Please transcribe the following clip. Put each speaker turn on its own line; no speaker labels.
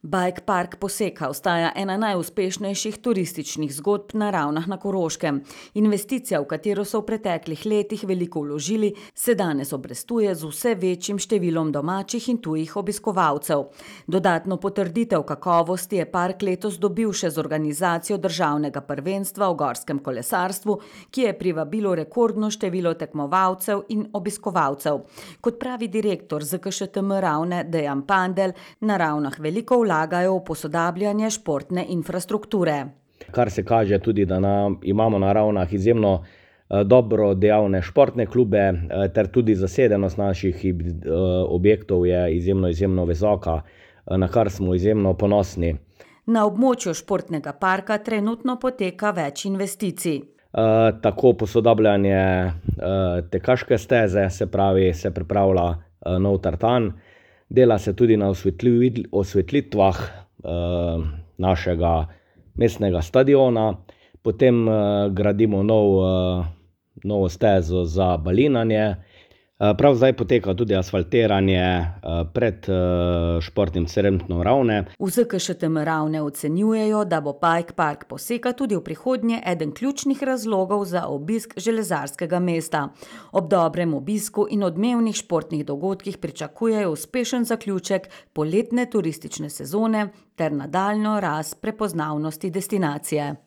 Bike Park Poseka ostaja ena najuspešnejših turističnih zgodb na Ravnah na Koroškem. Investicija, v katero so v preteklih letih veliko vložili, se danes obrestuje z vse večjim številom domačih in tujih obiskovalcev. Dodatno potrditev kakovosti je park letos dobil še z organizacijo državnega prvenstva v gorskem kolesarstvu, ki je privabilo rekordno število tekmovalcev in obiskovalcev. Kot pravi direktor ZKŠTM Ravne Dejan Pandelj, na Ravnah veliko vlagajo v posodabljanje športne infrastrukture.
Kar se kaže tudi, da imamo na Ravnah izjemno dobro dejavne športne klube, ter tudi zasedenost naših objektov je izjemno visoka, na kar smo izjemno ponosni.
Na območju športnega parka trenutno poteka več investicij.
Tako posodabljanje tekaške steze, se pripravlja nov tartan, dela se tudi na osvetlitvah našega mestnega stadiona, potem gradimo novo stezo za balinanje. Prav zdaj poteka tudi asfaltiranje pred športnim centrom Ravne.
V ZKŠTM Ravne ocenjujejo, da bo Bike Park Poseka tudi v prihodnje eden ključnih razlogov za obisk železarskega mesta. Ob dobrem obisku in odmevnih športnih dogodkih pričakujejo uspešen zaključek poletne turistične sezone ter nadaljnjo rast prepoznavnosti destinacije.